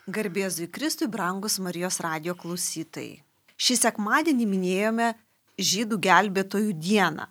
Garbė Jėzui Kristui, brangus Marijos radijo klausytojai. Šį sekmadienį minėjome Žydų gelbėtojų dieną.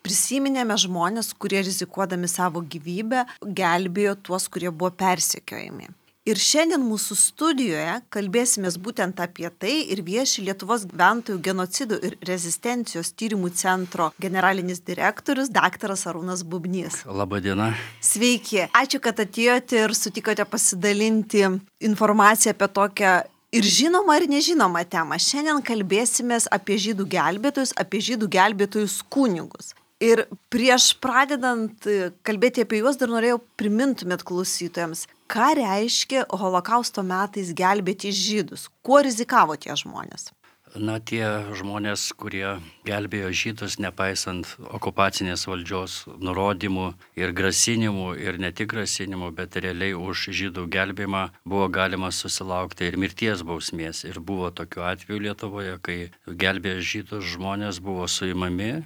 Prisiminėme žmonės, kurie rizikuodami savo gyvybę gelbėjo tuos, kurie buvo persekiojami. Ir šiandien mūsų studijoje kalbėsimės būtent apie tai ir vieši Lietuvos gyventojų genocidų ir rezistencijos tyrimų centro generalinis direktorius daktaras Arūnas Bubnys. Labą dieną. Sveiki. Ačiū, kad atėjote ir sutikote pasidalinti informaciją apie tokią ir žinomą ir nežinomą temą. Šiandien kalbėsimės apie žydų gelbėtojus, apie žydų gelbėtojus kunigus. Ir prieš pradedant kalbėti apie juos dar norėjau primintumėt klausytojams, ką reiškia holokausto metais gelbėti žydus, kuo rizikavo tie žmonės. Tie žmonės, kurie gelbėjo žydus, nepaisant okupacinės valdžios nurodymų ir grasinimų, ir ne tik grasinimų, bet realiai už žydų gelbėjimą buvo galima susilaukti ir mirties bausmės. Ir buvo tokių atvejų Lietuvoje, kai gelbėjo žydus žmonės buvo suimami,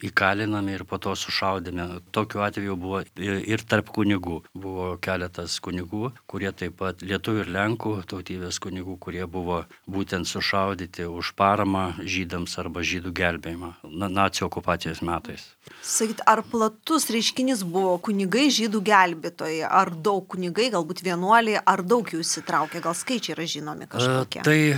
įkalinami ir po to sušaudėme. Tokių atvejų buvo ir tarp kunigų. Buvo keletas kunigų, kurie taip pat lietuvių ir lenkų tautybės kunigų, kurie buvo būtent sušaudyti už paramą žydams arba žydų gelbėjimą nacių okupacijos metais. Sakyt, ar platus reiškinys buvo kunigai žydų gelbėtojai, ar daug kunigai, galbūt vienuoliai, ar daug jų įsitraukė, gal skaičiai yra žinomi kažkokie? Tai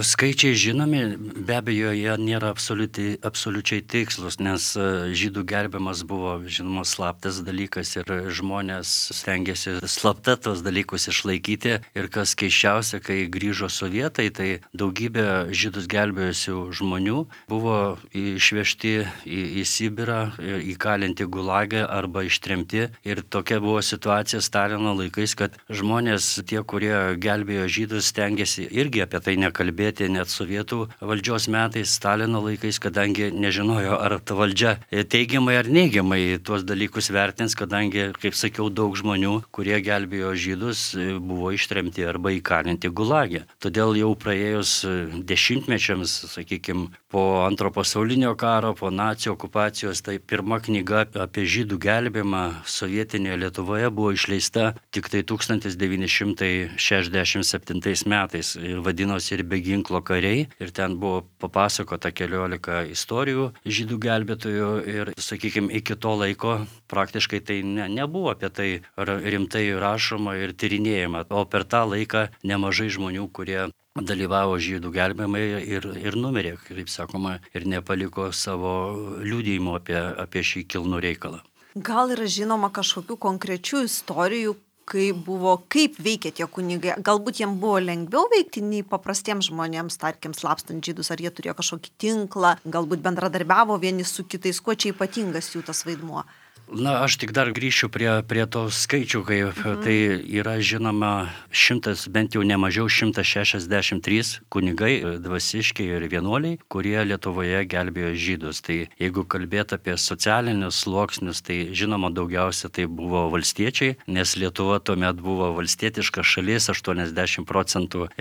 skaičiai žinomi, be abejo, jie nėra absoliučiai tikslus, nes žydų gelbėjimas buvo, žinoma, slaptas dalykas ir žmonės stengiasi slapta tos dalykus išlaikyti. Ir kas keisčiausia, kai grįžo sovietai, tai daugybė žydus gelbėjusių žmonių buvo išvežti į Sibirą, įkalinti gulagą arba ištremti. Ir tokia buvo situacija Stalino laikais, kad žmonės, tie, kurie gelbėjo žydus, stengiasi irgi apie tai nekalbėti, net sovietų valdžios metais, Stalino laikais, kadangi nežinojo, ar ta valdžia teigiamai ar neigiamai tuos dalykus vertins, kadangi, kaip sakiau, daug žmonių, kurie gelbėjo žydus, buvo ištremti arba įkalinti gulagę. Todėl jau praėjus dešimtmečiams, sakykime, po Antro pasaulinio karo, po nacių okupacijos, tai pirma knyga apie žydų gelbėjimą sovietinėje Lietuvoje buvo išleista tik tai 1967 metais ir vadinosi ir Be ginklo kariai. Ir ten buvo papasakota 14 istorijų žydų gelbėtojų ir, sakykime, iki to laiko praktiškai tai nebuvo apie tai rimtai rašoma ir tyrinėjama. O per tą laiką nemažai žmonių, kurie dalyvavo žydų gelbėjimai ir numirė, kaip sakoma, ir nepaliko savo liudijimo apie šį kilnų reikalą. Gal yra žinoma kažkokių konkrečių istorijų, kaip veikia tie kunigai? Galbūt jiems buvo lengviau veikti nei paprastiems žmonėms, tarkim, slapstant žydus, ar jie turėjo kažkokį tinklą, galbūt bendradarbiavo vieni su kitais, kuo čia ypatingas jų tas vaidmuo? Aš tik dar grįšiu prie to skaičių, kai tai yra žinoma bent jau nemažiau 163 kunigai, dvasiškiai ir vienuoliai, kurie Lietuvoje gelbėjo žydus. Tai jeigu kalbėt apie socialinius sluoksnius, tai žinoma daugiausia tai buvo valstiečiai, nes Lietuva tuomet buvo valstietiška šalis, 80%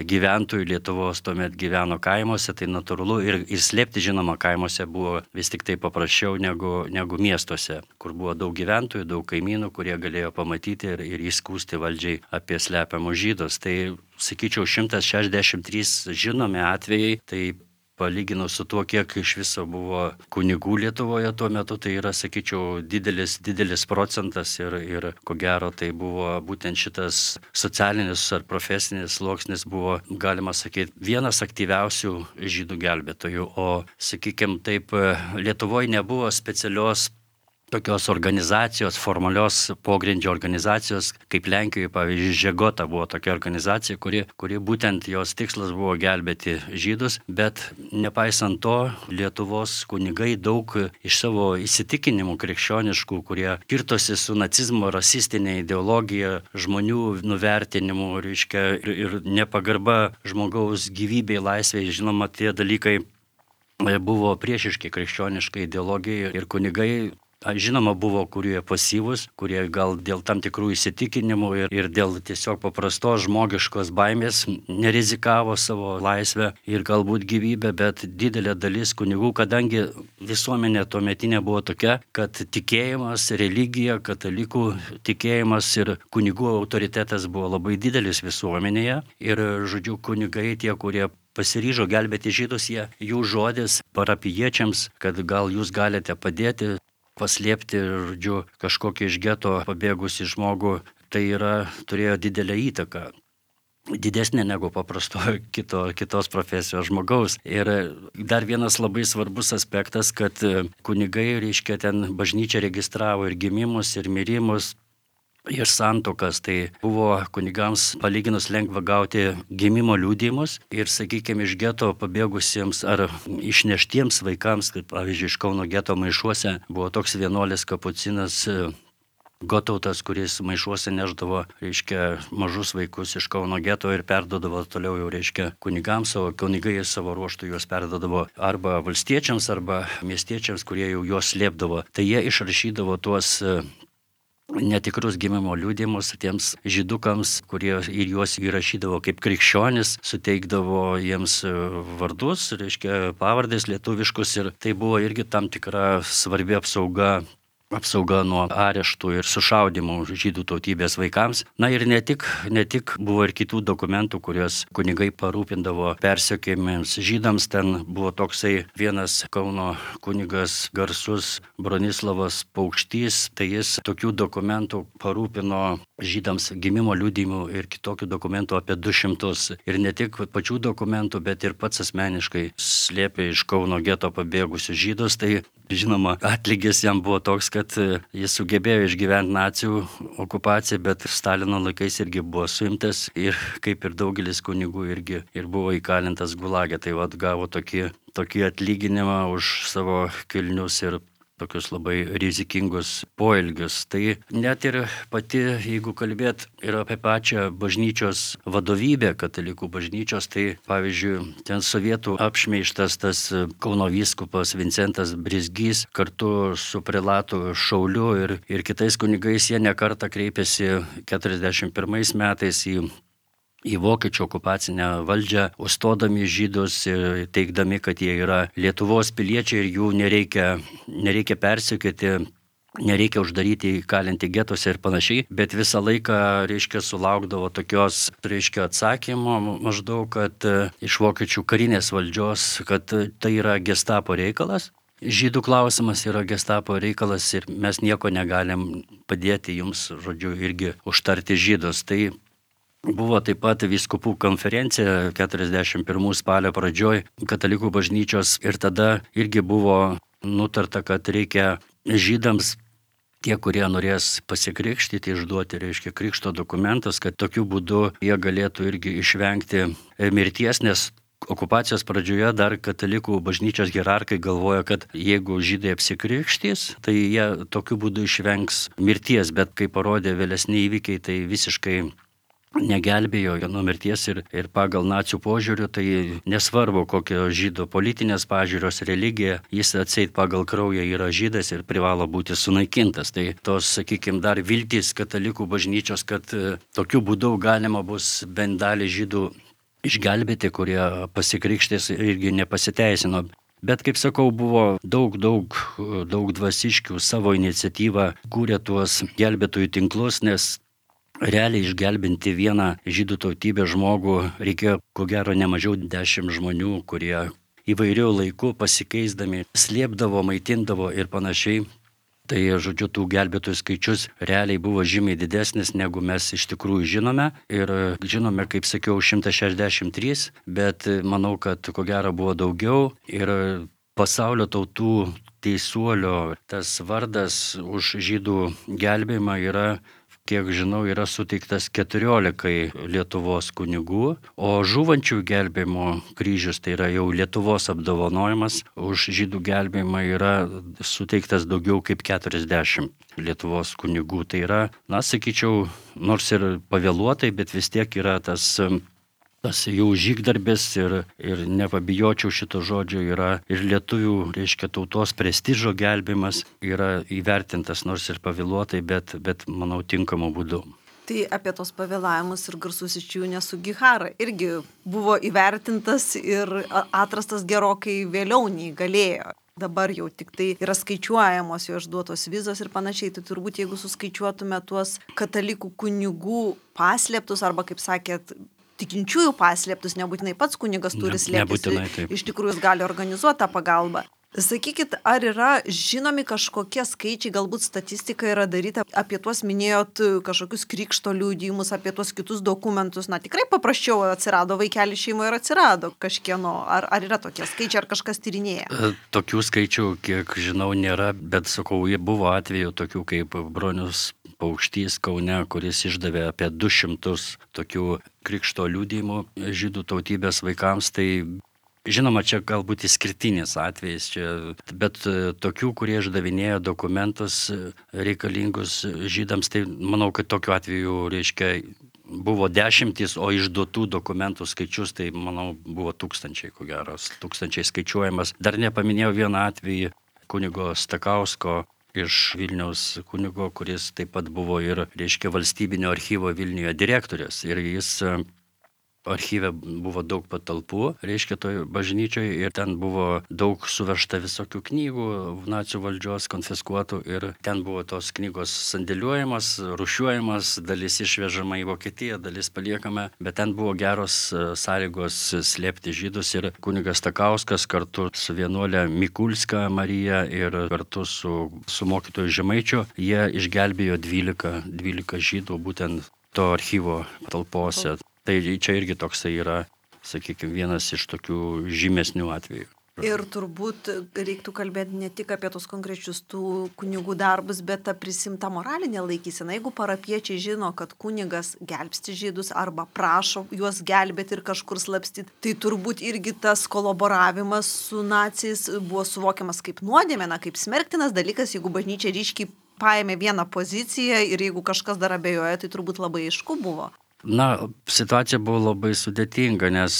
gyventojų Lietuvos tuomet gyveno kaimuose, tai natūralu ir slėpti, žinoma, kaimuose buvo vis tik tai paprasčiau negu miestuose, kur buvo daug gyventojų, daug kaimynų, kurie galėjo pamatyti ir įskųsti valdžiai apie slepiamus žydus. Tai, sakyčiau, 163 žinomi atvejai, tai palyginus su tuo, kiek iš viso buvo kunigų Lietuvoje tuo metu, tai yra, sakyčiau, didelis procentas ir ko gero tai buvo būtent šitas socialinis ar profesinis sluoksnis buvo, galima sakyti, vienas aktyviausių žydų gelbėtojų. O, sakykime, taip, Lietuvoje nebuvo specialios tokios organizacijos, formalios pogrindžio organizacijos, kaip Lenkijoje, pavyzdžiui, Žegota buvo tokia organizacija, kuri būtent jos tikslas buvo gelbėti žydus, bet nepaisant to, Lietuvos kunigai daug iš savo įsitikinimų krikščioniškų, kurie kirtosi su nacizmo rasistinė ideologija, žmonių nuvertinimu, ir nepagarba žmogaus gyvybei, laisvei, žinoma, tie dalykai buvo priešiški krikščioniškai ideologijai ir kunigai Žinoma, buvo, kurie pasyvus, kurie gal dėl tam tikrų įsitikinimų ir dėl tiesiog paprastos žmogiškos baimės nerizikavo savo laisvę ir galbūt gyvybę, bet didelė dalis kunigų, kadangi visuomenė tuometinė buvo tokia, kad tikėjimas, religija, katalikų tikėjimas ir kunigų autoritetas buvo labai didelis visuomenėje ir, žodžiu, kunigai tie, kurie pasiryžo gelbėti žydus, jų žodis parapijiečiams, kad gal jūs galite padėti, paslėpti, žodžiu, kažkokį iš geto pabėgusį žmogų, tai turėjo didelę įtaką. Didesnė negu paprasto kitos profesijos žmogaus. Ir dar vienas labai svarbus aspektas, kad kunigai, reiškia, ten bažnyčia registravo ir gimimus, ir mirimus, ir santuokas, tai buvo kunigams palyginus lengva gauti gimimo liudijimus ir, sakykime, iš geto pabėgusiems ar išneštiems vaikams, kaip pavyzdžiui iš Kauno geto Maišuose buvo toks vienuolis kapucinas Gotautas, kuris Maišuose neždavo, reiškia, mažus vaikus iš Kauno geto ir perdodavo toliau jau, reiškia, kunigams, o kunigai savo ruoštų juos perdodavo arba valstiečiams, arba miestiečiams, kurie jau juos slėpdavo. Tai jie išrašydavo tuos netikrus gimimo liudijimus tiems žydukams, kurie ir juos įrašydavo kaip krikščionis, suteikdavo jiems vardus, reiškia, pavardės lietuviškus, ir tai buvo irgi tam tikra svarbi apsauga nuo areštų ir sušaudimų žydų tautybės vaikams. Na ir ne tik buvo ir kitų dokumentų, kuriuos kunigai parūpindavo persekiojamiems žydams. Ten buvo toksai vienas Kauno kunigas garsus Bronislavas Paukštys, tai jis tokių dokumentų parūpino žydams gimimo liudijimų ir kitokių dokumentų apie 200. Ir ne tik pačių dokumentų, bet ir pats asmeniškai slėpė iš Kauno geto pabėgusius žydus. Tai žinoma, atlygis jam buvo toks, kad jis sugebėjo išgyventi nacių okupaciją, bet Stalino laikais irgi buvo suimtas ir kaip ir daugelis kunigų irgi ir buvo įkalintas gulage. Tai gavo tokį atlyginimą už savo kilnius ir tokius labai rizikingus poelgius. Tai net ir pati, jeigu kalbėt ir apie pačią bažnyčios vadovybę, katalikų bažnyčios, tai pavyzdžiui, ten sovietų apšmeižtas tas Kauno vyskupas Vincentas Brizgys kartu su prelatu Šauliu ir kitais kunigais, jie nekartą kreipėsi 41 metais į vokiečių okupacinę valdžią, užstodami žydus ir teigdami, kad jie yra Lietuvos piliečiai ir jų nereikia persekioti, nereikia uždaryti, įkalinti getuose ir panašiai, bet visą laiką, reiškia, sulaukdavo tokios, reiškia, atsakymo maždaug, kad iš vokiečių karinės valdžios, kad tai yra gestapo reikalas. Žydų klausimas yra gestapo reikalas ir mes nieko negalim padėti jums, žodžiu, irgi užtarti žydus. Tai buvo taip pat vyskupų konferencija 41 spalio pradžioj katalikų bažnyčios ir tada irgi buvo nutarta, kad reikia žydams, tie, kurie norės pasikrikštyti, išduoti, reiškia, krikšto dokumentus, kad tokiu būdu jie galėtų irgi išvengti mirties, nes okupacijos pradžioje dar katalikų bažnyčios hierarkai galvoja, kad jeigu žydai apsikrikštys, tai jie tokiu būdu išvengs mirties, bet kaip parodė vėlesni įvykiai, tai visiškai negelbėjo nuo mirties ir pagal nacių požiūrių, tai nesvarbu, kokio žydo politinės pažiūros, religija, jis atseit pagal kraują yra žydas ir privalo būti sunaikintas. Tai tos, sakykime, dar viltys katalikų bažnyčios, kad tokiu būdu galima bus bent dalį žydų išgelbėti, kurie pasikrikštės, irgi nepasiteisino. Bet, kaip sakau, buvo daug dvasiškių savo iniciatyvą kūrė tuos gelbėtojų tinklus, nes realiai išgelbinti vieną žydų tautybės žmogų reikėjo, ko gero, ne mažiau 10 žmonių, kurie įvairių laikų pasikeisdami slėpdavo, maitindavo ir panašiai. Tai, žodžiu, tų gelbėtojų skaičius realiai buvo žymiai didesnis, negu mes iš tikrųjų žinome. Ir žinome, kaip sakiau, 163, bet manau, kad ko gero buvo daugiau. Ir pasaulio tautų teisuolio tas vardas už žydų gelbėjimą yra, kiek žinau, yra suteiktas 14 Lietuvos kunigų, o žūvančių gelbėjimo kryžius, tai yra jau Lietuvos apdovanojimas, už žydų gelbėjimą yra suteiktas daugiau kaip 40 Lietuvos kunigų. Tai yra, sakyčiau, nors ir pavėluotai, bet vis tiek yra tas Tas jų žygdarbis ir nepabijočiau šito žodžio yra ir lietuvių, reiškia, tautos prestižo gelbimas yra įvertintas nors ir pavėluotai, bet manau tinkamu būdu. Tai apie tos pavėlavimus ir garsusis Čiūnė Sugihara irgi buvo įvertintas ir atrastas gerokai vėliau nei galėjo. Dabar jau tik tai yra skaičiuojamos jo išduotos vizos ir panašiai. Tai turbūt jeigu suskaičiuotume tuos katalikų kunigų paslėptus arba, kaip sakėt, tikinčiųjų paslėptus, nebūtinai pats kunigas turi slėptis, iš tikrųjų jis gali organizuoti tą pagalbą. Sakykit, ar yra žinomi kažkokie skaičiai, galbūt statistika yra daryta apie tuos minėjot kažkokius krikšto liudijimus, apie tuos kitus dokumentus, na tikrai paprasčiau atsirado vaikelį šeimoje ir atsirado kažkieno, ar yra tokie skaičiai, ar kažkas tyrinėja? Tokių skaičių, kiek žinau, nėra, bet sakau, buvo atvejų tokių kaip Bronius Paukštys Kaune, kuris išdavė apie 200 tokių krikšto liudijimų žydų tautybės vaikams, tai žinoma, čia galbūt išskirtinis atvejis, bet tokių, kurie išdavinėjo dokumentus reikalingus žydams, tai manau, kad tokiu atveju, reiškia, buvo dešimtys, o išduotų dokumentų skaičius, tai manau, buvo tūkstančiai, ko geros, tūkstančiai skaičiuojamas. Dar nepaminėjau vieną atvejį kunigo Stakausko iš Vilniaus kunigo, kuris taip pat buvo ir, reiškia, valstybinio archyvo Vilniuje direktorius. Ir jis archyve buvo daug patalpų, reiškia, toj bažnyčioje, ir ten buvo daug suvežta visokių knygų, nacių valdžios konfiskuotų, ir ten buvo tos knygos sandėliuojamos, rūšiuojamos, dalis išvežama į Vokietiją, dalis paliekama, bet ten buvo geros sąlygos slėpti žydus, ir kunigas Stakauskas kartu su vienuolė Mikulska Marija ir kartu su mokytoju Žemaičiu, jie išgelbėjo 12 žydų būtent to archyvo talpose. Tai čia irgi toksai yra, sakykime, vienas iš tokių žymesnių atvejų. Ir turbūt reiktų kalbėti ne tik apie tos konkrečius tų kunigų darbus, bet tą prisimtą moralinę laikyseną. Jeigu parapiečiai žino, kad kunigas gelbsti žydus arba prašo juos gelbėti ir kažkur slapstyti, tai turbūt irgi tas kolaboravimas su naciais buvo suvokiamas kaip nuodėmė, kaip smerktinas dalykas, jeigu bažnyčia ryškiai paėmė vieną poziciją ir jeigu kažkas dar abejoja, tai turbūt labai aišku buvo. Na, situacija buvo labai sudėtinga, nes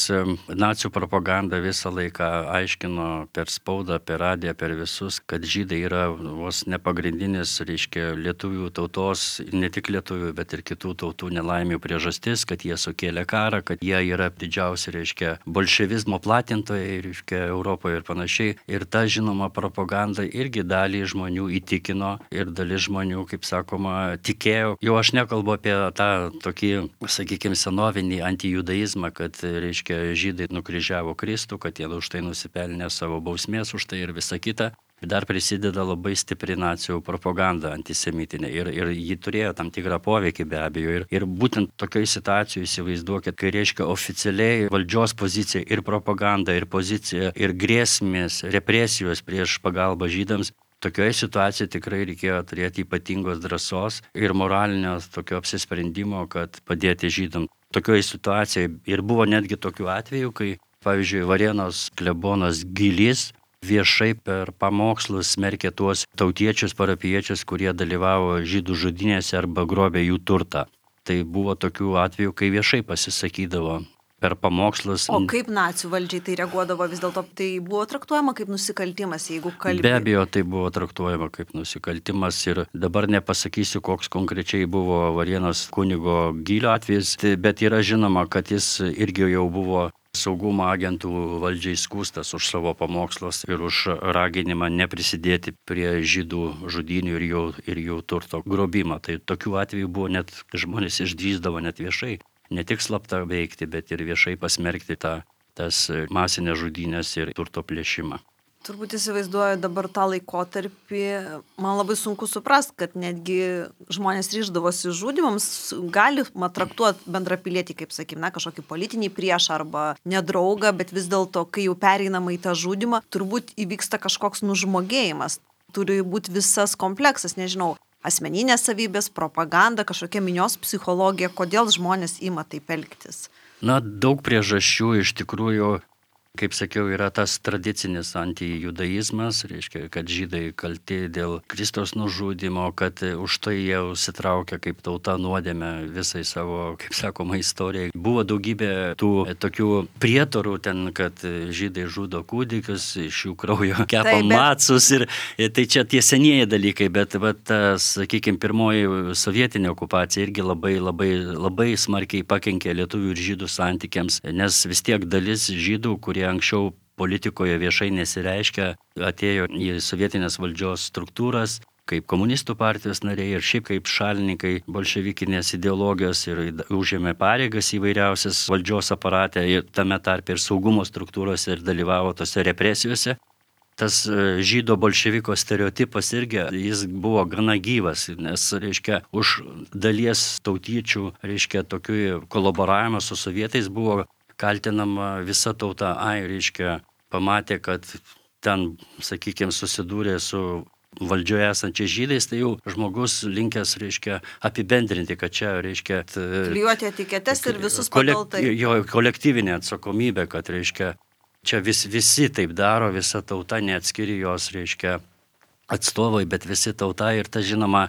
nacių propaganda visą laiką aiškino per spaudą, per radiją, per visus, kad žydai yra vos nepagrindinis, reiškia, lietuvių tautos, ne tik lietuvių, bet ir kitų tautų nelaimių priežastis, kad jie sukėlė karą, kad jie yra didžiausi, reiškia, bolševizmo platintojai, reiškia, Europoje ir panašiai. Ir ta, žinoma, propaganda irgi dalį žmonių įtikino ir dalis žmonių, kaip sakoma, tikėjo. Jau aš nekalbu apie tą tokį, sakykime, senovinį antijudaizmą, kad, reiškia, žydai nukryžiavo Kristų, kad jie už tai nusipelnė savo bausmės už tai ir visa kita. Dar prisideda labai stipri nacijų propaganda antisemitinė ir ji turėjo tam tikrą poveikį be abejo. Ir būtent tokioje situacijoje įsivaizduokit, kai, reiškia, oficialiai valdžios pozicija ir propaganda, ir pozicija, ir grėsmės, represijos prieš pagalbą žydams. Tokioje situacijoje tikrai reikėjo turėti ypatingos drąsos ir moralinio tokio apsisprendimo, kad padėti žydams. Tokioje situacijoje ir buvo netgi tokių atvejų, kai, pavyzdžiui, Varėnos klebonas Gilys viešai per pamokslus smerkė tuos tautiečius, parapiečius, kurie dalyvavo žydų žudynėse arba grobė jų turtą. Tai buvo tokių atvejų, kai viešai pasisakydavo per pamokslus. O kaip nacių valdžiai tai reaguodavo, vis dėlto tai buvo traktuojama kaip nusikaltimas, jeigu kalbėjo? Be abejo, tai buvo traktuojama kaip nusikaltimas ir dabar nepasakysiu, koks konkrečiai buvo Varėnos kunigo Gylio atvejis, bet yra žinoma, kad jis irgi jau buvo saugumo agentų valdžiai skųstas už savo pamokslus ir už raginimą neprisidėti prie žydų žudynių ir jų turto grobimą. Tai tokių atvejų buvo, net žmonės išdrįsdavo net viešai. Ne tik slapta veikti, bet ir viešai pasmerkti tas masinės žudynės ir turto plėšimą. Turbūt įsivaizduoju dabar tą laikotarpį, man labai sunku suprasti, kad netgi žmonės ryždavosi žudymams, galima traktuoti bendrapilietį, kaip sakykime, kažkokį politinį priešą arba nedraugą, bet vis dėlto, kai jau pereinama į tą žudymą, turbūt įvyksta kažkoks nužmogėjimas. Turi būti visas kompleksas, nežinau, asmeninės savybės, propaganda, kažkokia minios psichologija, kodėl žmonės ima taip elgtis? Na, daug priežasčių iš tikrųjų. kaip sakiau, yra tas tradicinis antijudaizmas, reiškia, kad žydai kalti dėl Kristaus nužudimo, kad už tai jie užsitraukia kaip tauta nuodėmę visai savo, kaip sakoma, istorijai. Buvo daugybė tų tokių prietarų ten, kad žydai žudo kūdikius, iš jų kraujo kepa macus ir tai čia tie senieji dalykai, bet tas, sakykime, pirmoji sovietinė okupacija irgi labai smarkiai pakenkė lietuvių ir žydų santykiams, nes vis tiek dalis žydų, kurie anksčiau politikoje viešai nesireiškia, atėjo į sovietinės valdžios struktūras kaip komunistų partijos nariai ir šiaip kaip šalininkai bolševikinės ideologijos ir užėmė pareigas įvairiausias valdžios aparate ir tame tarpe ir saugumo struktūrose ir dalyvavo tose represijose. Tas žydo bolševiko stereotipas irgi, jis buvo gana gyvas, nes, reiškia, už dalies tautiečių, reiškia, tokių kolaboravimo su sovietais buvo kaltinama visa tauta, reiškia, pamatė, kad ten, sakykime, susidūrė su valdžioje esančiais žydais, tai jau žmogus linkęs, reiškia, apibendrinti, kad čia, reiškia, klijuoti etiketes ir visus pakaltai. Jo kolektyvinė atsakomybė, kad, reiškia, čia visi taip daro, visa tauta, neatskiri jos, reiškia, atstovai, bet visi tauta ir ta, žinoma,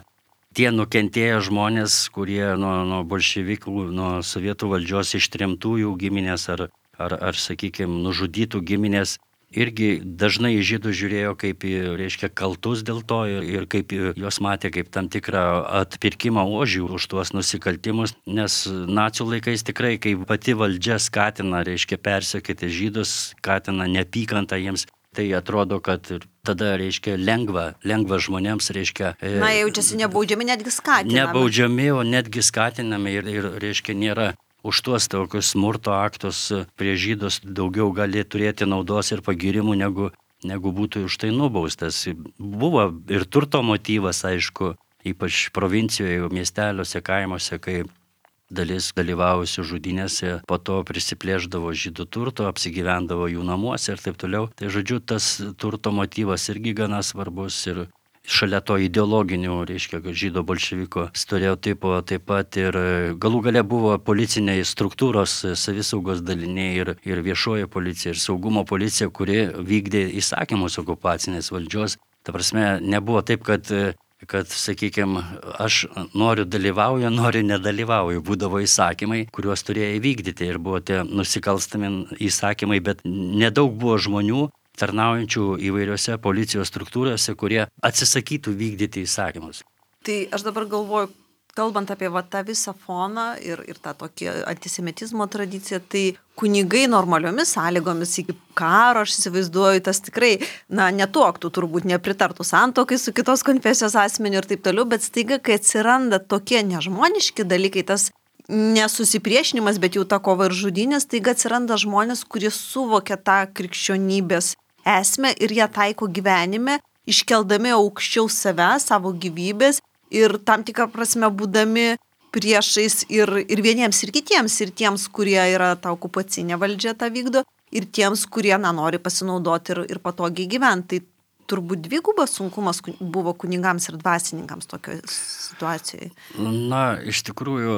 tie nukentėję žmonės, kurie nuo bolševikų, nuo sovietų valdžios ištremtųjų giminės ar sakykime, nužudytų giminės, irgi dažnai žydų žiūrėjo kaip, reiškia, kaltus dėl to ir kaip juos matė kaip tam tikrą atpirkimą ožių už tuos nusikaltimus, nes nacių laikais tikrai, kai pati valdžia skatina, reiškia, persekioti žydus, skatina neapykantą jiems, tai atrodo, kad tada, reiškia, lengva žmonėms, reiškia... jaučiasi nebaudžiami, netgi skatinami. Nebaudžiami, o netgi skatinami ir reiškia, nėra už tuos tokius smurto aktus prie žydus daugiau gali turėti naudos ir pagyrimų, negu būtų už tai nubaustas. Buvo ir turto motyvas, aišku, ypač provincijoje, miesteliuose, kaimuose, kai dalis dalyvavusių žudynėse po to prisiplėždavo žydų turto, apsigyvendavo jų namuose ir taip toliau. Tai žodžiu, tas turto motyvas irgi gana svarbus ir šalia to ideologinių, reiškia, žydo bolševiko stereotipo taip pat ir galų gale buvo policiniai struktūros, savisaugos daliniai ir viešoji policija ir saugumo policija, kuri vykdė įsakymus okupacinės valdžios. Ta prasme, nebuvo taip, kad, sakykime, aš noriu dalyvauju, noriu nedalyvauju. Būdavo įsakymai, kuriuos turėjo įvykdyti ir buvo tie nusikalstami įsakymai, bet nedaug buvo žmonių tarnaujančių įvairiose policijos struktūrose, kurie atsisakytų vykdyti įsakymus. Tai aš dabar galvoju, kalbant apie tą visą foną ir tą tokį antisemitizmo tradiciją, tai kunigai normaliomis sąlygomis iki karo, aš įsivaizduoju, tas tikrai, netuoktų, turbūt nepritartų santuokai su kitos konfesijos asmeniu ir taip toliau, bet staiga, kai atsiranda tokie nežmoniški dalykai, tas nesusipriešinimas, bet jau ta kova ir žudynės, staiga atsiranda žmonės, kurie suvokia tą krikščionybės esmę ir ją taiko gyvenime, iškeldami aukščiau save, savo gyvybės ir tam tikrą prasme būdami priešais ir vieniems ir kitiems, ir tiems, kurie yra ta okupacinė valdžia tą vykdo, ir tiems, kurie nori pasinaudoti ir patogiai gyventi. Tai turbūt dvigubas sunkumas buvo kunigams ir dvasininkams tokioje situacijoje. Iš tikrųjų,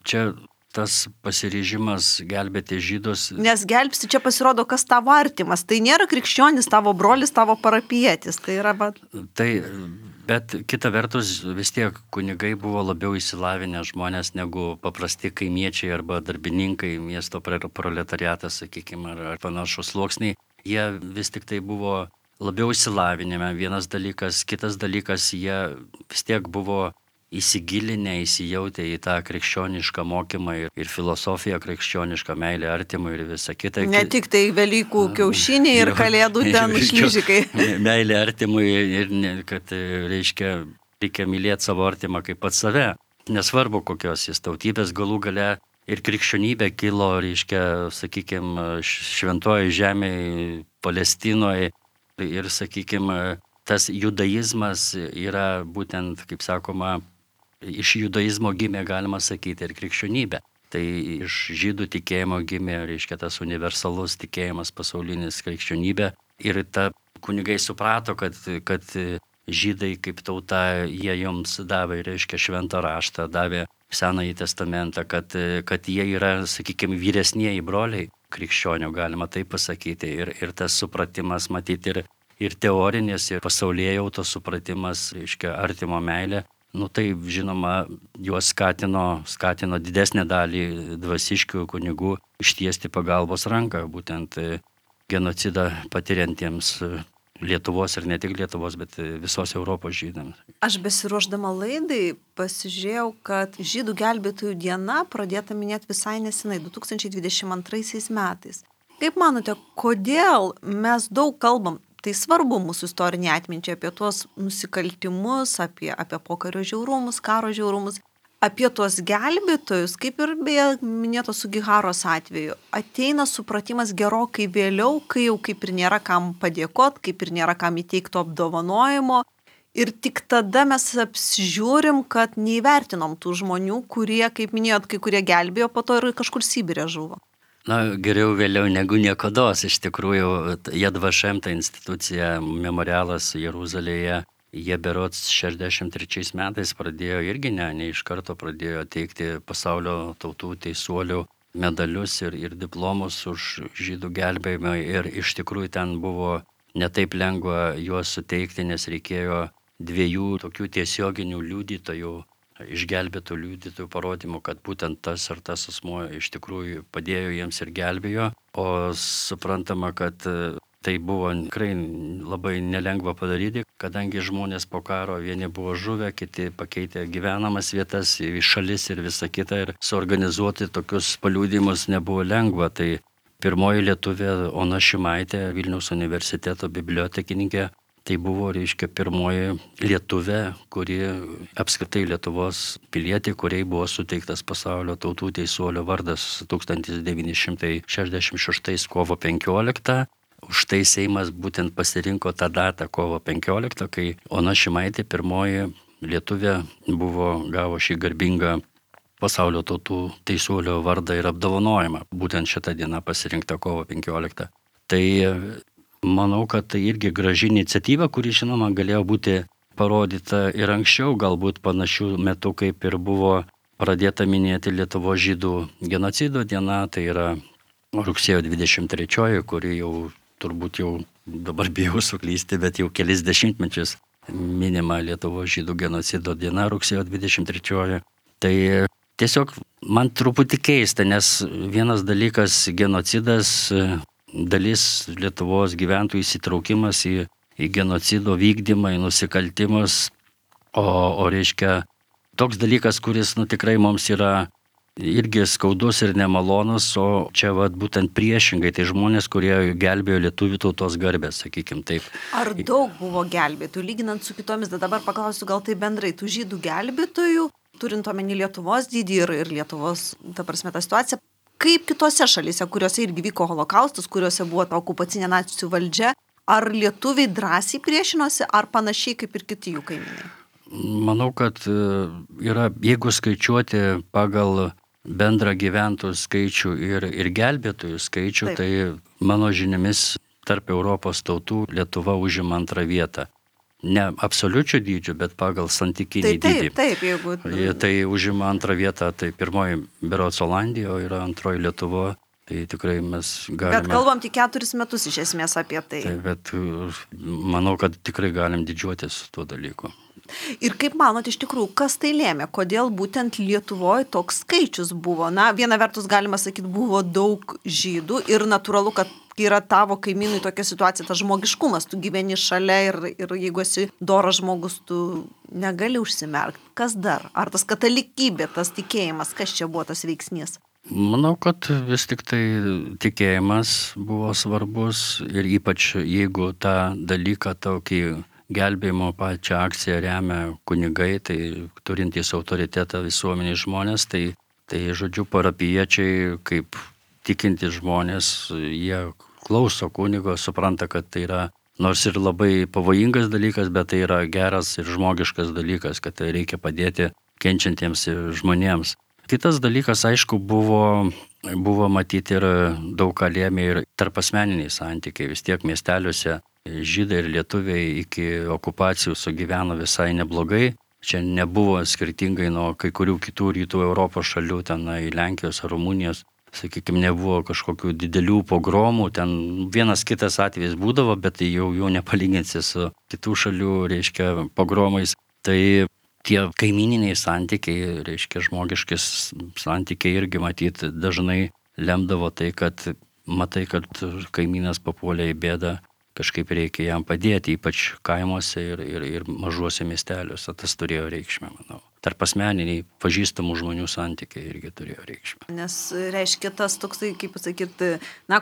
čia tas pasiryžimas gelbėti žydus. Nes gelbsti čia pasirodo, kas tavo artimas. Tai nėra krikščionis, tavo brolis, tavo parapijietis. Tai yra... Bet kita vertus, vis tiek kunigai buvo labiau įsilavinę žmonės negu paprasti kaimiečiai arba darbininkai, miesto proletariatas, sakykime, ar panašus sluoksniai. Jie vis tik tai buvo labiau įsilavinę. Vienas dalykas, kitas dalykas, jie vis tiek buvo įsigilinę, įsijautę į tą krikščionišką mokymą ir filosofiją krikščionišką, meilę artimui ir visą kitą. Ne tik tai Velykų kiaušiniai ir kalėdų ten šlyžikai. Meilė artimui ir kad reikia mylėti savo artimą kaip pat save. Nesvarbu, kokios jis tautybės, galų gale ir krikščionybė kilo, sakykime, šventoji žemėje, Palestinoje ir, sakykime, tas judaizmas yra būtent, kaip sakoma, iš judaizmo gimė, galima sakyti, ir krikščionybė. Tai iš žydų tikėjimo gimė, tas universalus tikėjimas pasaulinis krikščionybė. Ir kunigai suprato, kad žydai kaip tauta, jie joms davė, reiškia, šventą raštą, davė Senąjį testamentą, kad jie yra, sakykime, vyresnieji broliai krikščionių, galima taip pasakyti. Ir tas supratimas, matyti, ir teorinis, ir pasaulėjautos supratimas, reiškia, artimo meilė. Tai, žinoma, juos skatino didesnę dalį dvasiškių kunigų ištiesti pagalbos ranką, būtent genocidą patiriantiems Lietuvos ir ne tik Lietuvos, bet visos Europos žydams. Aš besiruošdama laidai pasižiūrėjau, kad žydų gelbėtojų diena pradėta minėti visai nesenai, 2022 metais. Kaip manote, kodėl mes daug kalbam, tai svarbu mūsų istorinė atminčiai apie tuos nusikaltimus, apie pokario žiaurumus, karo žiaurumus, apie tuos gelbėtojus, kaip ir beje minėto Sugiharos atveju, ateina supratimas gerokai vėliau, kai jau kaip ir nėra kam padėkot, kaip ir nėra kam įteikto apdovanojimo. Ir tik tada mes apsižiūrim, kad neįvertinom tų žmonių, kurie, kaip minėjot, kai kurie gelbėjo, po to ir kažkur Sibire žuvo. Geriau vėliau negu niekados. Iš tikrųjų, Yad Vashem, ta institucija, memorialas Jeruzalėje, jie berods 63 metais pradėjo irgi ne iš karto pradėjo teikti pasaulio tautų teisuolių medalius ir diplomus už žydų gelbėjimą. Ir iš tikrųjų ten buvo netaip lengva juos suteikti, nes reikėjo 2 tokių tiesioginių liudytojų, išgelbėtų liudytojų parodymų, kad būtent tas ar tas asmuo iš tikrųjų padėjo jiems ir gelbėjo. O suprantama, kad tai buvo tikrai labai nelengva padaryti, kadangi žmonės po karo vieni buvo žuvę, kiti pakeitė gyvenamas vietas į šalis ir visą kitą, ir suorganizuoti tokius paliudimus nebuvo lengva. Tai pirmoji lietuvė Ona Šimaitė, Vilniaus universiteto bibliotekininkė, tai buvo, reiškia, pirmoji lietuvė, kuri apskritai Lietuvos pilietė, kuriai buvo suteiktas pasaulio tautų teisuolio vardas 1966 kovo 15. Už tai Seimas būtent pasirinko tą datą kovo 15, kai Ona Šimaitė, pirmoji lietuvė, gavo šį garbingą pasaulio tautų teisuolio vardą ir apdovanojimą. Būtent šitą dieną pasirinkta kovo 15. Tai manau, kad tai irgi graži iniciatyva, kuri, žinoma, galėjo būti parodyta ir anksčiau, galbūt panašių metų, kaip ir buvo pradėta minėti Lietuvos žydų genocido diena, tai yra rugsėjo 23, kuri jau turbūt jau dabar bijau suklysti, bet jau kelis dešimtmečius minima Lietuvos žydų genocido diena rugsėjo 23. Tai tiesiog man truputį keista, nes vienas dalykas genocidas, dalis Lietuvos gyventojų įsitraukimas į genocido vykdymą, į nusikaltimus, o reiškia toks dalykas, kuris tikrai mums yra irgi skaudus ir nemalonus, o čia būtent priešingai, tai žmonės, kurie gelbėjo lietuvių tautos garbę, sakykim taip. Ar daug buvo gelbėtojų, lyginant su kitomis, dabar paklausiu gal tai bendrai, tų žydų gelbėtojų, turint omeny Lietuvos dydį ir Lietuvos, ta situacija, kaip kitose šalyse, kuriuose irgi vyko holokaustas, kuriuose buvo ta okupacinė nacių valdžia, ar lietuviai drąsiai priešinosi, ar panašiai kaip ir kiti jų kaimynai? Manau, kad yra, jeigu skaičiuoti pagal bendrą gyventojų skaičių ir gelbėtojų skaičių, taip, tai mano žiniomis tarp Europos tautų Lietuva užima 2 vietą. Ne absoliučių dydžių, bet pagal santykinį dydį. Taip, jeigu... Tai užima 2 vietą, tai pirmoji berods Olandija, o yra 2 Lietuva. Tai tikrai mes galime... Bet kalbam tik 4 metus iš esmės apie tai. Taip, bet manau, kad tikrai galim didžiuotis tuo dalyku. Ir kaip manot, iš tikrųjų, kas tai lėmė? Kodėl būtent Lietuvoje toks skaičius buvo? Viena vertus galima sakyti, buvo daug žydų ir natūralu, kad yra tavo kaimynui tokia situacija, tas žmogiškumas, tu gyveni šalia ir jeigu esi doras žmogus, tu negali užsimerkti. Kas dar? Ar tas katalikybė, tas tikėjimas, kas čia buvo tas veiksnys? Manau, kad vis tik tai tikėjimas buvo svarbus ir ypač jeigu tą dalyką tokį gelbėjimo pačią akciją remia kunigai, tai turintys autoritetą visuomenės žmonės, tai žodžiu parapiečiai, kaip tikintys žmonės, jie klauso kunigo, supranta, kad tai yra nors ir labai pavojingas dalykas, bet tai yra geras ir žmogiškas dalykas, kad tai reikia padėti kenčiantiems žmonėms. Kitas dalykas, aišku, buvo buvo matyti ir daug ką lėmė ir tarpasmeniniai santykiai. Vis tiek miesteliuose žydai ir lietuviai iki okupacijų sugyveno visai neblogai. Čia nebuvo skirtingai nuo kai kurių kitų rytų Europos šalių, tenai Lenkijos ar Rumunijos, sakykime, nebuvo kažkokių didelių pogromų, ten vienas kitas atvejis būdavo, bet tai jau nepalyginsi su kitų šalių, reiškia, pogromais. Tai tie kaimininiai santykiai, reiškia, žmogiškis santykiai irgi matyti dažnai lemdavo tai, kad matai, kad kaimynas papuolė į bėdą, kažkaip reikia jam padėti, ypač kaimuose ir mažuose miesteliuose. Tas turėjo reikšmę, manau. Tarpasmeniniai pažįstamų žmonių santykiai irgi turėjo reikšmę. Nes reiškia tas toksai, kaip pasakyti,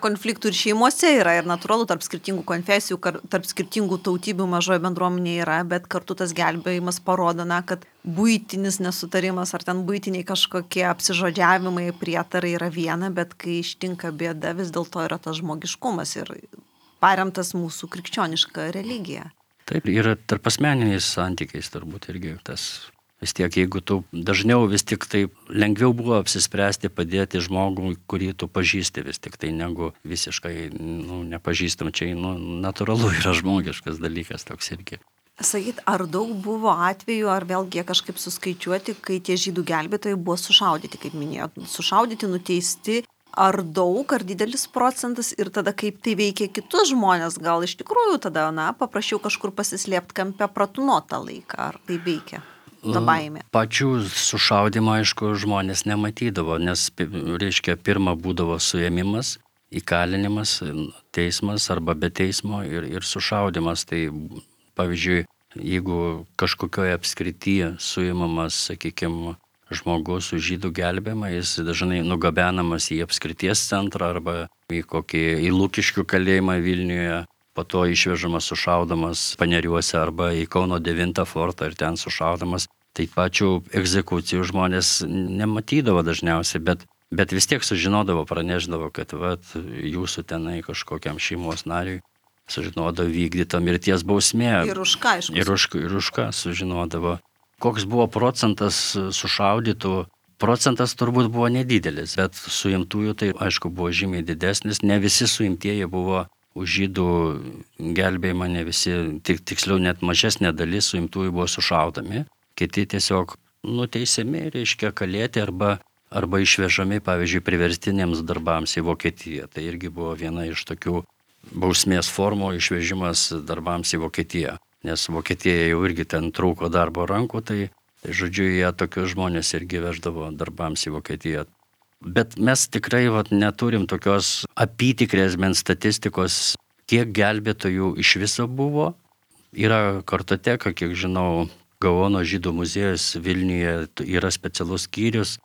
konfliktų ir šeimose yra ir natūralu tarp skirtingų konfesijų, tarp skirtingų tautybių mažoje bendruomenėje yra, bet kartu tas gelbėjimas parodo, kad buitinis nesutarimas ar ten buitiniai kažkokie apsižodžiavimai, prietarai yra viena, bet kai ištinka bėda, vis dėlto yra tas žmogiškumas ir paremtas mūsų krikščioniška religija. Taip, ir tarpasmeniniais santykiais turbūt irgi tas. Vis tiek, jeigu tu dažniau vis tik tai lengviau buvo apsispręsti padėti žmogui, kurį tu pažįsti vis tik tai, negu visiškai nepažįstam. Čia natūralu yra žmogiškas dalykas toks irgi. Sakyt, ar daug buvo atvejų, ar vėlgi kažkaip suskaičiuoti, kai tie žydų gelbėtojai buvo sušaudyti, kaip minėjot, sušaudyti, nuteisti, ar daug, ar didelis procentas ir tada kaip tai veikia kitus žmonės, gal iš tikrųjų tada, paprašiau kažkur pasislėpti kampe pratūnotą laiką, ar tai veikia? Ta baimė. Pačių sušaudimo, aišku, žmonės nematydavo, nes, reiškia, pirma būdavo suėmimas, įkalinimas, teismas arba be teismo ir sušaudimas. Tai, pavyzdžiui, jeigu kažkokioje apskrityje suimamas, sakykime, žmogus su žydų gelbėjimą, jis dažnai nugabenamas į apskrities centrą arba į Lukiškių kalėjimą Vilniuje, po to išvežamas sušaudamas Paneriuose arba į Kauno 9 fortą ir ten sušaudamas. Tai pačių egzekucijų žmonės nematydavo dažniausiai, bet vis tiek sužinodavo, praneždavo, kad jūsų tenai kažkokiam šeimos nariui sužinodavo vykdyta mirties bausmė. Ir už ką, aišku. Ir už ką sužinodavo. Koks buvo procentas sušaudytų? Procentas turbūt buvo nedidelis, bet suimtųjų tai aišku buvo žymiai didesnis. Ne visi suimtieji buvo už žydų gelbėjimą, ne visi, tiksliau net mažesnė dalis suimtųjų buvo sušaudami. Kiti tiesiog nuteisiami, reiškia, kalėti arba išvežami, pavyzdžiui, priverstiniams darbams į Vokietiją. Tai irgi buvo viena iš tokių bausmės formų, išvežimas darbams į Vokietiją. Nes Vokietija jau irgi ten trūko darbo rankų, tai žodžiu, jie tokius žmonės irgi veždavo darbams į Vokietiją. Bet mes tikrai neturim tokios apytikrės bent statistikos, kiek gelbėtojų iš viso buvo. Yra kartoteka, kiek žinau, Gaono žydų muziejus Vilniuje yra specialus skyrius,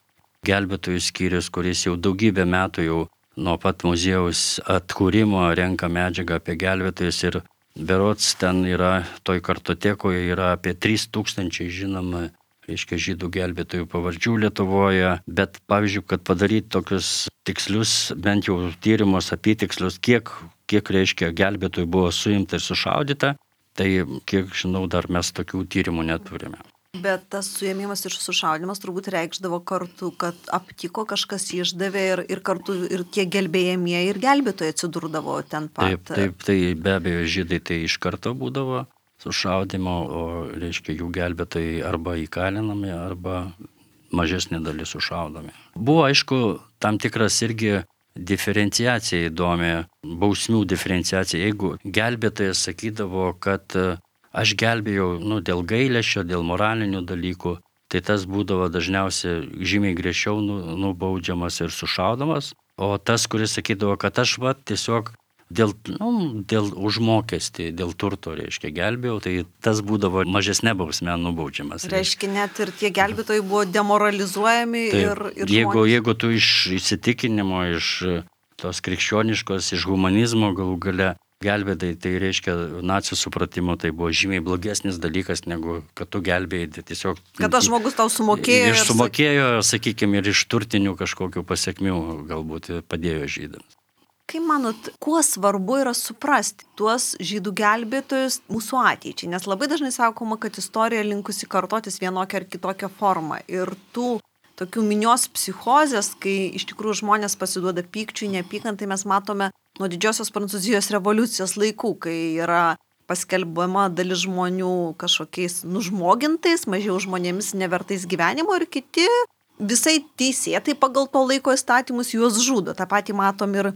gelbėtojų skyrius, kuris jau daugybę metų jau nuo pat muziejaus atkūrimo renka medžiagą apie gelbėtojus ir berods ten yra, toj kartotekoje yra apie 3000 žinoma, reiškia, žydų gelbėtojų pavardžių Lietuvoje, bet pavyzdžiui, kad padaryti tokius tikslius, bent jau tyrimus apytikslius, kiek reiškia gelbėtojų buvo suimta ir sušaudyta, tai kiek žinau, dar mes tokių tyrimų neturime. Bet tas suėmimas ir sušaudimas turbūt reikšdavo kartu, kad aptiko kažkas išdavė ir kartu ir tie gelbėjamieji ir gelbėtojai atsidurdavo ten pat. Taip, tai be abejo žydai tai iš karto būdavo sušaudimo, o reiškia jų gelbėtojai arba įkalinami, arba mažesnė dalis sušaudomi. Buvo aišku tam tikras irgi diferenciacija įdomi, bausmių diferenciacija. Jeigu gelbėtojas sakydavo, kad aš gelbėjau dėl gailesčio, dėl moralinių dalykų, tai tas būdavo dažniausiai žymiai griežčiau nubaudžiamas ir sušaudomas, o tas, kuris sakydavo, kad aš tiesiog dėl užmokestį, dėl turto, reiškia, gelbėjau, tai tas būdavo mažesnė bausmė nubaudžiamas. Reiškia, net ir tie gelbėtojai buvo demoralizuojami ir jeigu tu iš įsitikinimo, iš tos krikščioniškos, iš humanizmo galų gale gelbėtai, tai reiškia nacių supratimo, tai buvo žymiai blogesnis dalykas, negu kad tu gelbėjai tiesiog. Kad tas žmogus tau sumokėjo. Sumokėjo, sakykime, ir iš turtinių kažkokių pasiekmių galbūt padėjo žydams. Kaip manot, kuo svarbu yra suprasti tuos žydų gelbėtojus mūsų ateičiai? Nes labai dažnai sakoma, kad istorija linkusi kartotis vienokią ar kitokią formą. Ir tų tokių minios psichozės, kai iš tikrųjų žmonės pasiduoda pykčiui, neapykantai, mes matome nuo didžiosios Prancūzijos revoliucijos laikų, kai yra paskelbama dalis žmonių kažkokiais nužmogintais, mažiau žmonėmis nevertais gyvenimo ir kiti visai teisėtai pagal to laiko įstatymus juos žudo. Ta pati matom ir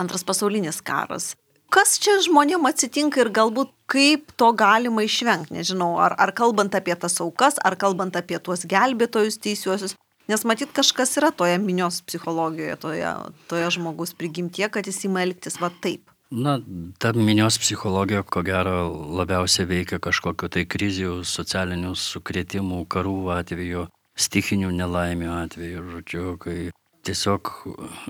Antras pasaulinis karas. Kas čia žmonėm atsitinka ir galbūt kaip to galima išvengti, nežinau, ar kalbant apie tas aukas, ar kalbant apie tuos gelbėtojus teisiuosius, nes matyt kažkas yra toje minios psichologijoje, toje žmogus prigimtie, kad jis ima elgtis va taip. Na, ta minios psichologija, ko gero, labiausiai veikia kažkokio tai krizių, socialinių sukrėtimų, karų atveju, stichinių nelaimių atveju, žodžiu, kai tiesiog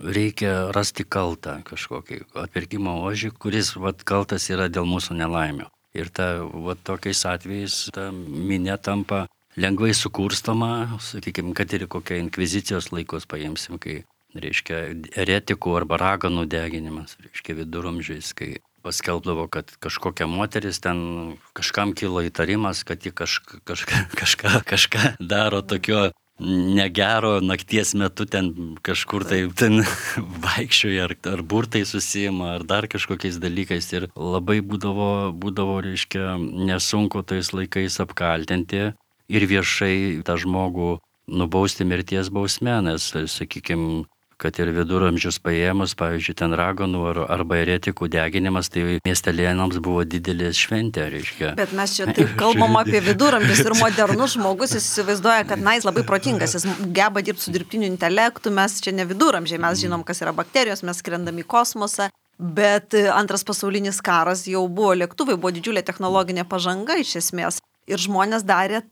reikia rasti kaltą kažkokį atpirkimo ožį, kuris kaltas yra dėl mūsų nelaimių. Ir tokiais atvejais ta minė tampa lengvai sukurstoma, sakykime, kad ir kokią inkvizicijos laikus paimsim, kai, reiškia, eretikų arba raganų deginimas, reiškia, viduramžiais, kai paskelbdavo, kad kažkokia moteris ten kažkam kilo įtarimas, kad ji kažką daro tokio negero nakties metu ten kažkur tai ten vaikščioja ar burtai susijima ar dar kažkokiais dalykais ir labai būdavo, reiškia, nesunku tais laikais apkaltinti ir viešai tą žmogų nubausti mirties bausme, nes, sakykime, kad ir viduramžius paėmus, pavyzdžiui, ten raganų arba eretikų deginimas, tai miestelėnams buvo didelės šventė, reiškia. Bet mes čia taip kalbam apie viduramžius ir modernus žmogus, jis įsivaizduoja, kad jis labai protingas, jis geba dirbti su dirbtiniu intelektu, mes čia ne viduramžiai, mes žinom, kas yra bakterijos, mes skrendam į kosmosą, bet Antras pasaulinis karas jau buvo lėktuvai, buvo didžiulė technologinė pažanga iš esmės ir žmonės darė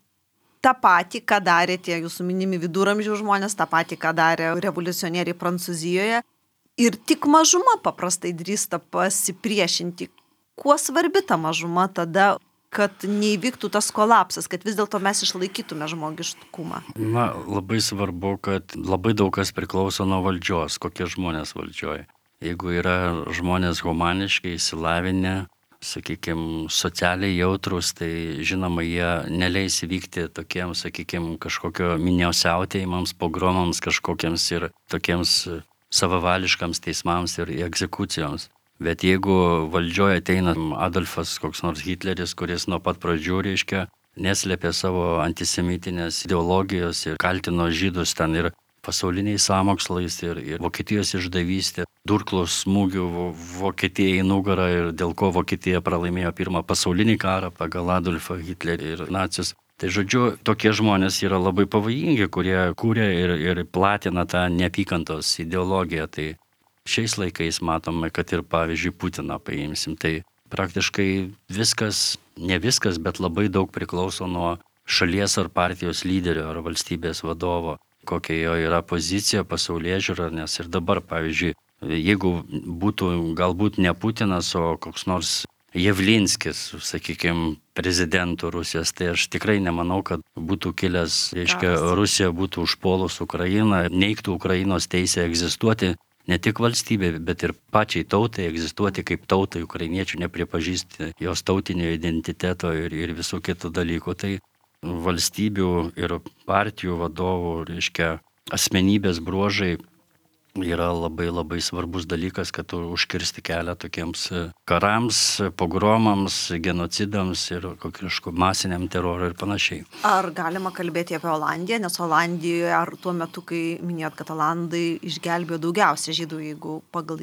tą patį, ką darė tie jūsų minimi viduramžių žmonės, tą patį, ką darė revoliucionieriai Prancūzijoje. Ir tik mažuma paprastai drįsta pasipriešinti. Kuo svarbi ta mažuma tada, kad neįvyktų tas kolapsas, kad vis dėlto mes išlaikytume žmogiškumą? Na, labai svarbu, kad labai daug kas priklauso nuo valdžios, kokie žmonės valdžioje. Jeigu yra žmonės humaniškai įsilavinę, sakykime, socialiai jautrus, tai žinoma, jie neleis įvykti tokiems, sakykime, kažkokio miniosiautėjimams, pogromams kažkokiems ir tokiems savavališkams teismams ir egzekucijoms. Bet jeigu valdžioje ateina Adolfas, koks nors Hitleris, kuris nuo pat pradžių, reiškia, neslėpė savo antisemitinės ideologijos ir kaltino žydus ten ir pasauliniais sąmokslais ir Vokietijos išdavystė, durklos smūgių Vokietijai į nugarą ir dėl ko Vokietija pralaimėjo pirmą pasaulinį karą pagal Adolfą Hitlerį ir nacius. Tai žodžiu, tokie žmonės yra labai pavojingi, kurie kūrė ir platina tą neapykantos ideologiją. Tai šiais laikais matome, kad ir pavyzdžiui Putiną paimsim. Tai praktiškai viskas, ne viskas, bet labai daug priklauso nuo šalies ar partijos lyderio ar valstybės vadovo, kokia jo yra pozicija, pasaulėžiūra, nes ir dabar, pavyzdžiui, jeigu būtų galbūt ne Putinas, o koks nors Javlinskis, sakykime, prezidentų Rusijos, tai aš tikrai nemanau, kad būtų kilęs, reiškia, Rusija būtų užpuolus Ukrainą, neigtų Ukrainos teisę egzistuoti, ne tik valstybė, bet ir pačiai tautai egzistuoti kaip tautai, ukrainiečių nepripažįsti jos tautinio identiteto ir visų kitų dalykų. Tai valstybių ir partijų vadovų, reiškia, asmenybės bruožai yra labai labai svarbus dalykas, kad užkirsti kelią tokiems karams, pogromams, genocidams ir kažkokiu masiniam terorui ir panašiai. Ar galima kalbėti apie Olandiją, nes Olandijoje, ar tuo metu, kai minėjot, kad Olandai išgelbėjo daugiausia žydų, jeigu pagal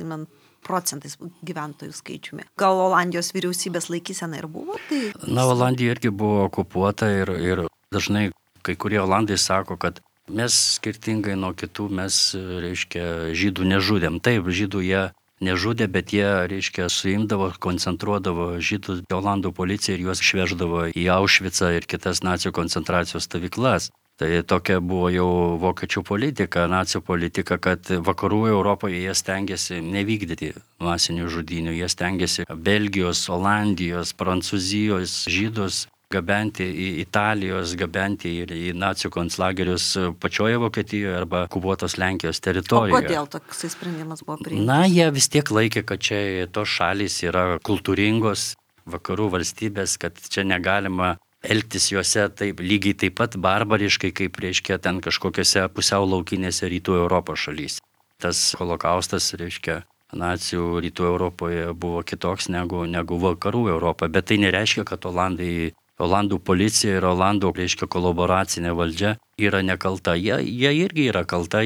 procentais gyventojų skaičiumi. Gal Olandijos vyriausybės laikysena ir buvo? Tai... Na, Olandija irgi buvo okupuota ir dažnai kai kurie Olandai sako, kad mes skirtingai nuo kitų, mes, reiškia, žydų nežudėm. Taip, žydų jie nežudė, bet jie, reiškia, suimdavo, koncentruodavo žydus Olandų policija ir juos išveždavo į Aušvicą ir kitas nacių koncentracijos stovyklas. Tai tokia buvo jau vokiečių politika, nacių politika, kad vakarų Europoje jie stengiasi nevykdyti masinių žudynių, jie stengiasi Belgijos, Olandijos, Prancūzijos žydus gabenti į Italijos, gabenti ir į nacių konclagerius pačioje Vokietijoje arba okupuotos Lenkijos teritorijoje. O kodėl toksai sprendimas buvo priimtas? Na, jie vis tiek laikė, kad čia tos šalys yra kultūringos vakarų valstybės, kad čia negalima elgtis juose taip lygiai taip pat barbariškai, kaip reiškia ten kažkokiose pusiau laukinėse rytų Europos šalyse. Tas holokaustas, reiškia, nacijų rytų Europoje buvo kitoks negu vakarų Europoje, bet tai nereiškia, kad Olandų policija ir Olandų, reiškia, kolaboracinė valdžia yra nekalta. Jie irgi yra kalta,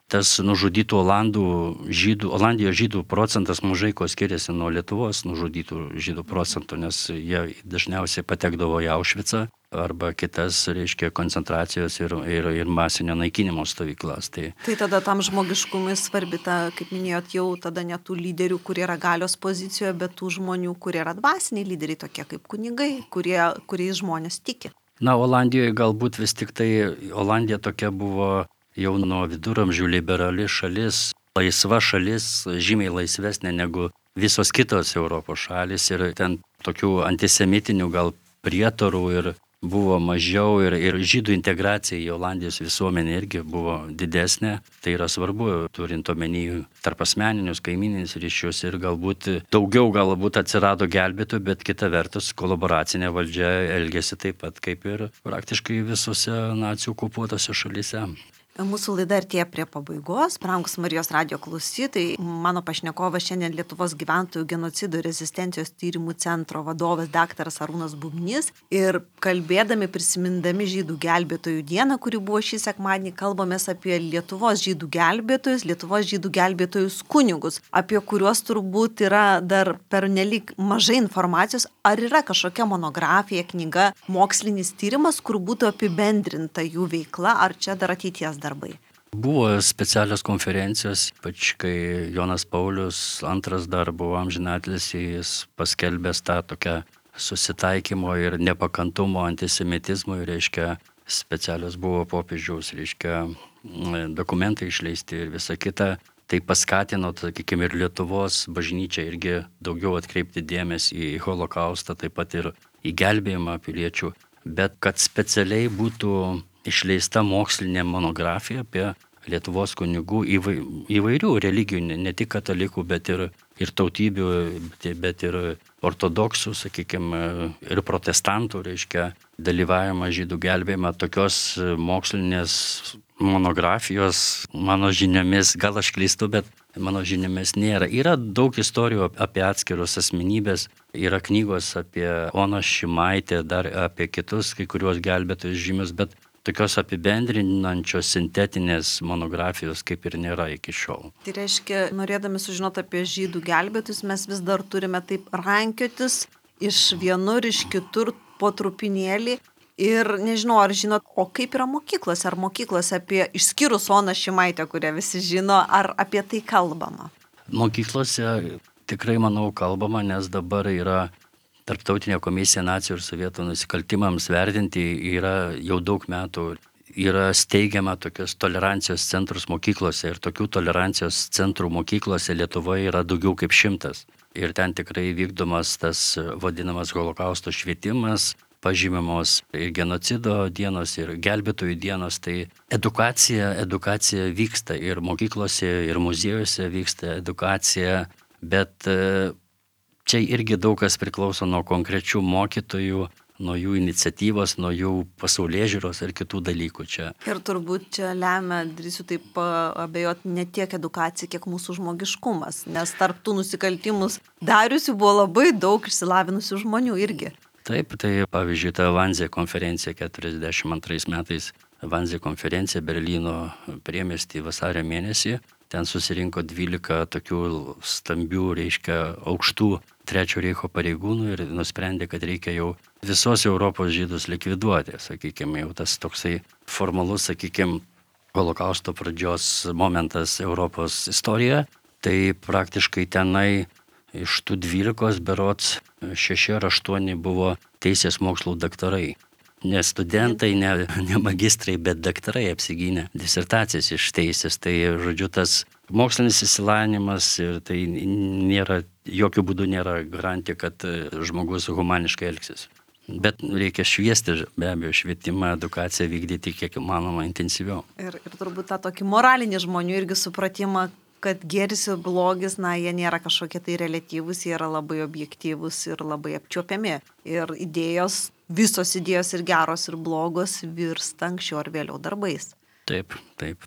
tas nužudytų Olandijos žydų procentas mažai ko skiriasi nuo Lietuvos nužudytų žydų procentų, nes jie dažniausiai patekdavo į Aušvicą arba kitas, reiškia, koncentracijos ir masinio naikinimo stovyklas. Tai tada tam žmogiškumui svarbi ta, kaip minėjot, jau tada ne tų lyderių, kurie yra galios pozicijoje, bet tų žmonių, kurie yra dvasiniai lyderiai, tokie kaip kunigai, kuriais žmonės tiki. Olandijoje galbūt vis tik tai Olandija tokia buvo jau nuo viduramžių liberali šalis, laisva šalis, žymiai laisvesnė negu visos kitos Europos šalis ir ten tokių antisemitinių gal prietarų ir buvo mažiau ir žydų integracija į Olandijos visuomenę irgi buvo didesnė. Tai yra svarbu, turint omeny tarpasmeninius, kaimyninius ryšius ir daugiau atsirado gelbėtojų, bet kita vertus kolaboracinė valdžia elgėsi taip pat kaip ir praktiškai visose nacių okupuotose šalyse. Mūsų laida artėja prie pabaigos. Brangūs Marijos radijo klausytojai, mano pašnekovas šiandien Lietuvos gyventojų genocido ir rezistencijos tyrimų centro vadovas daktaras Arūnas Bubnys. Ir kalbėdami, prisimindami žydų gelbėtojų dieną, kuri buvo šį sekmadienį, kalbamės apie Lietuvos žydų gelbėtojus kunigus, apie kuriuos turbūt yra dar pernelyg mažai informacijos. Ar yra kažkokia monografija, knyga, mokslinis tyrimas, kur būtų apibendrinta jų veikla, ar čia dar ateities darbai? Buvo specialios konferencijos, ypač kai Jonas Paulius II dar buvo amžinatilsį, jis paskelbęs tą tokią susitaikymo ir nepakantumo antisemitizmui, reiškia, specialios buvo popiežiaus, reiškia, dokumentai išleisti ir visa kita. Tai paskatino, sakykime, ir Lietuvos bažnyčią irgi daugiau atkreipti dėmesį į holokaustą, taip pat ir į gelbėjimą piliečių. Bet kad specialiai būtų išleista mokslinė monografija apie Lietuvos kunigų įvairių religijų, ne tik katalikų, bet ir tautybių, bet ir ortodoksų, sakykime, ir protestantų, reiškia, dalyvavimą žydų gelbėjimą. Tokios mokslinės monografijos, mano žiniomis, gal aš klystu, bet mano žiniomis nėra. Yra daug istorijų apie atskirus asmenybės, yra knygos apie Oną Šimaitę, dar apie kitus kai kuriuos gelbėtojus žymius, bet tokios apibendrinančios sintetinės monografijos kaip ir nėra iki šiol. Tai reiškia, norėdami sužinoti apie žydų gelbėtojus, mes vis dar turime taip rankiotis iš vienur, iš kitur po trupinėlį. Ir nežinau, ar žinot, o kaip yra mokyklose, ar mokyklose apie, išskyrus Oną Šimaitę, kurią visi žino, ar apie tai kalbama? Mokyklose tikrai, manau, kalbama, nes dabar yra Tarptautinė komisija nacijų ir sovietų nusikaltimams vertinti, yra jau daug metų, yra steigiama tokios tolerancijos centrus mokyklose ir tokių tolerancijos centrų mokyklose Lietuvoje yra daugiau kaip 100. Ir ten tikrai vykdomas tas vadinamas holokausto švietimas, pažymimos ir genocido dienos, ir gelbėtojų dienos, tai edukacija vyksta ir mokyklose, ir muziejuose vyksta edukacija, bet čia irgi daug kas priklauso nuo konkrečių mokytojų, nuo jų iniciatyvos, nuo jų pasaulėžiūros ir kitų dalykų čia. Ir turbūt čia lemia, drįsiu taip abejoti, ne tiek edukacija, kiek mūsų žmogiškumas, nes tarp tų nusikaltimus dariusių buvo labai daug išsilavinusių žmonių irgi. Taip, tai pavyzdžiui, ta Wannsee konferencija 42 metais, Wannsee konferencija Berlyno priemiesty vasario mėnesį, ten susirinko 12 tokių stambių, reiškia, aukštų Trečiojo Reicho pareigūnų ir nusprendė, kad reikia jau visos Europos žydus likviduoti, sakykime, jau tas toksai formalus, sakykime, holokausto pradžios momentas Europos istorijoje. Tai praktiškai tenai iš tų 12 berods 6 ar 8 buvo teisės mokslų daktarai. Ne studentai, ne magistrai, bet daktarai apsigynė disertacijas iš teisės. Tai, žodžiu, tas mokslinis išsilavinimas ir tai jokių būdų nėra garantija, kad žmogus humaniškai elgsis. Bet reikia šviesti, be abejo, švietimą, edukaciją vykdyti kiek įmanoma intensyviau. Ir turbūt tą tokį moralinį žmonių irgi supratimą, kad gėris ir blogis, jie nėra kažkokie tai reliatyvūs, jie yra labai objektyvūs ir labai apčiuopiami. Ir idėjos visos idėjos ir geros ir blogos virsta anksčiau ar vėliau darbais. Taip,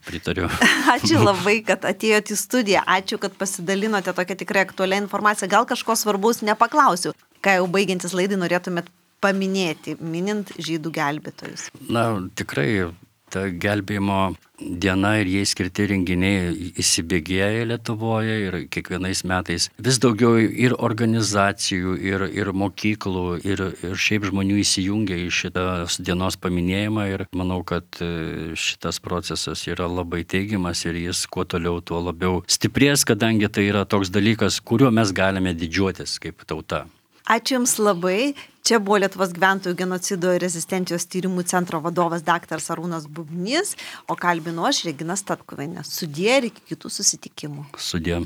pritariu. Ačiū labai, kad atėjote į studiją. Ačiū, kad pasidalinote tokią tikrai aktualią informaciją. Gal kažko svarbaus nepaklausiu. Ką jau baigiantis laidai norėtumėt paminėti, minint žydų gelbėtojus? Na, tikrai ta gelbėjimo diena ir jai skirti renginiai įsibėgėja Lietuvoje ir kiekvienais metais vis daugiau ir organizacijų, ir mokyklų, ir šiaip žmonių įsijungia į šitos dienos paminėjimą ir manau, kad šitas procesas yra labai teigiamas ir jis kuo toliau, tuo labiau stiprės, kadangi tai yra toks dalykas, kuriuo mes galime didžiuotis kaip tauta. Ačiū Jums labai. Čia buvo Lietuvos gyventojų genocido ir rezistencijos tyrimų centro vadovas dr. Arūnas Bubnys, o kalbinu aš Regina Statkuvienė. Sudie ir iki kitų susitikimų. Sudie.